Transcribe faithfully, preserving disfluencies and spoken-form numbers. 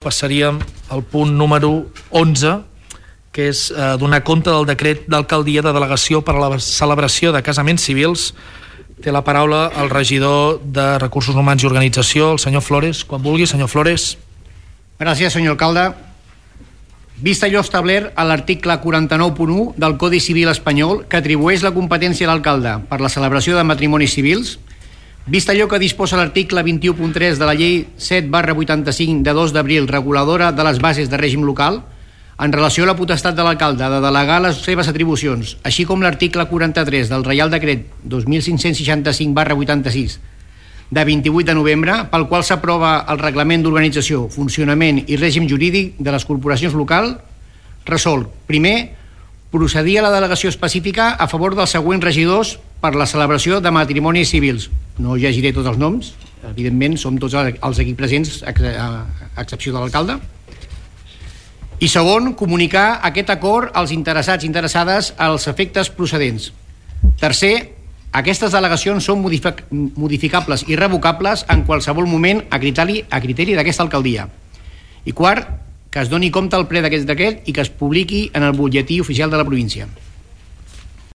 Passaríem al punt número onze, que és eh, donar compte del decret d'alcaldia de delegació per a la celebració de casaments civils. Té la paraula el regidor de Recursos Humans i Organització, el senyor Flores. Quan vulgui, senyor Flores. Gràcies, senyor alcalde. Vist allò establert a l'article quaranta-nou punt u del Codi Civil espanyol, que atribueix la competència a l'alcalde per la celebració de matrimonis civils, vist allò que disposa l'article vint-i-u punt tres de la llei set barra vuitanta-cinc de dos d'abril reguladora de les bases de règim local, en relació a la potestat de l'alcalde de delegar les seves atribucions, així com l'article quaranta-tres del Reial Decret dos mil cinc-cents seixanta-cinc barra vuitanta-sis de vint-i-vuit de novembre, pel qual s'aprova el Reglament d'Organització, Funcionament i Règim Jurídic de les Corporacions Locals, resol, primer, procedir a la delegació específica a favor dels següents regidors per la celebració de matrimonis civils. No llegiré tots els noms, evidentment som tots els aquí presents, a excepció de l'alcalde. I segon, comunicar aquest acord als interessats i interessades als efectes procedents. Tercer, aquestes delegacions són modificables i revocables en qualsevol moment a criteri, a criteri d'aquesta alcaldia. I quart, que es doni compte al ple d'aquest decret i que es publiqui en el butlletí oficial de la província.